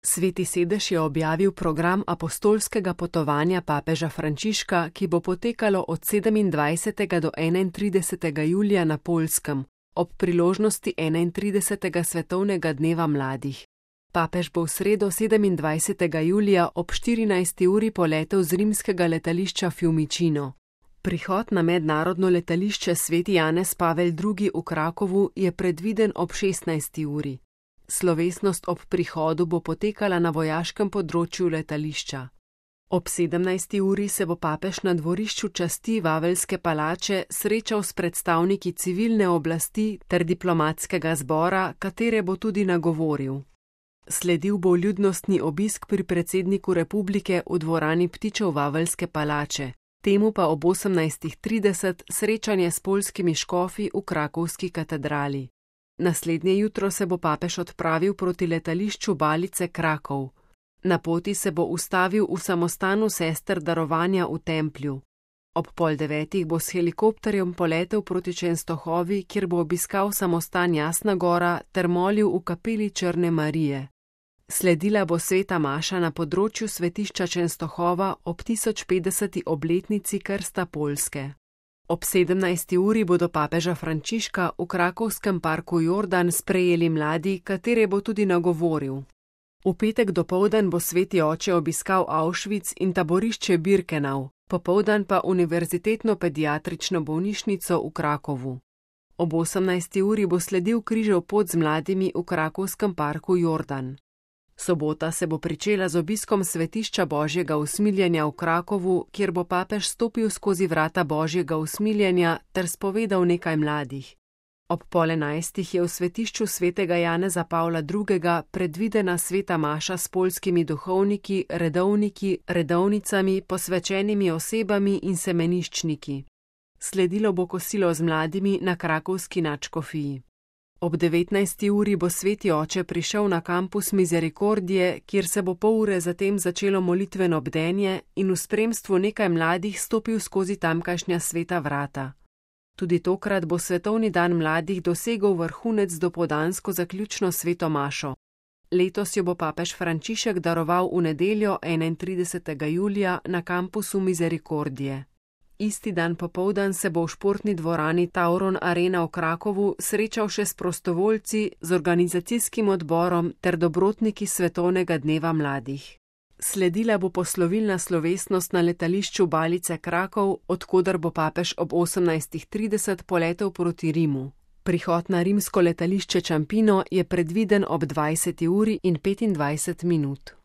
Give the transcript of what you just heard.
Sveti sedež je objavil program apostolskega potovanja papeža Frančiška, ki bo potekalo od 27. do 31. julija na Poljskem, ob priložnosti 31. svetovnega dneva mladih. Papež bo v sredo 27. julija ob 14. uri poletel z rimskega letališča Fiumicino. Prihod na mednarodno letališče Sveti Janez Pavel II. V Krakovu je predviden ob 16. uri. Slovesnost ob prihodu bo potekala na vojaškem področju letališča. Ob 17. uri se bo papež na dvorišču časti Vaveljske palače srečal s predstavniki civilne oblasti ter diplomatskega zbora, katere bo tudi nagovoril. Sledil bo ljudnostni obisk pri predsedniku republike v dvorani Ptičev Vaveljske palače, temu pa ob 18:30 srečanje s poljskimi škofi v krakovski katedrali. Naslednje jutro se bo papež odpravil proti letališču Balice Krakov. Na poti se bo ustavil v samostanu sester darovanja v Templju. Ob 8:30 bo s helikopterjem poletel proti Čenstohovi, kjer bo obiskal samostan Jasna Gora ter molil v kapeli Črne Marije. Sledila bo sveta maša na področju svetišča Čenstohova ob 1050. obletnici krsta Poljske. Ob 17. uri bodo papeža Frančiška v krakovskem parku Jordan sprejeli mladi, katere bo tudi nagovoril. V petek dopoldan bo sveti oče obiskal Auschwitz in taborišče Birkenau, popoldan pa univerzitetno pediatrično bolnišnico v Krakovu. Ob 18. uri bo sledil križev pot z mladimi v krakovskem parku Jordan. Sobota se bo pričela z obiskom svetišča Božjega usmiljenja v Krakovu, kjer bo papež stopil skozi vrata Božjega usmiljenja ter spovedal nekaj mladih. Ob 10:30 je v svetišču svetega Janeza Pavla II. Predvidena sveta maša s poljskimi duhovniki, redovniki, redovnicami, posvečenimi osebami in semeniščniki. Sledilo bo kosilo z mladimi na krakovski nadškofiji. Ob 19. uri bo sveti oče prišel na kampus Misericordije, kjer se bo pol ure zatem začelo molitveno bdenje in v spremstvu nekaj mladih stopil skozi tamkajšnja sveta vrata. Tudi tokrat bo svetovni dan mladih dosegel vrhunec dopoldansko zaključno sveto mašo. Letos jo bo papež Frančišek daroval v nedeljo 31. julija na kampusu Misericordije. Isti dan popoldan se bo v športni dvorani Tauron Arena v Krakovu srečal še s prostovoljci, z organizacijskim odborom ter dobrotniki svetovnega dneva mladih. Sledila bo poslovilna slovesnost na letališču Balice Krakov, od koder bo papež ob 18:30 poletel proti Rimu. Prihod na rimsko letališče Ciampino je predviden ob 20. uri in 25 minut.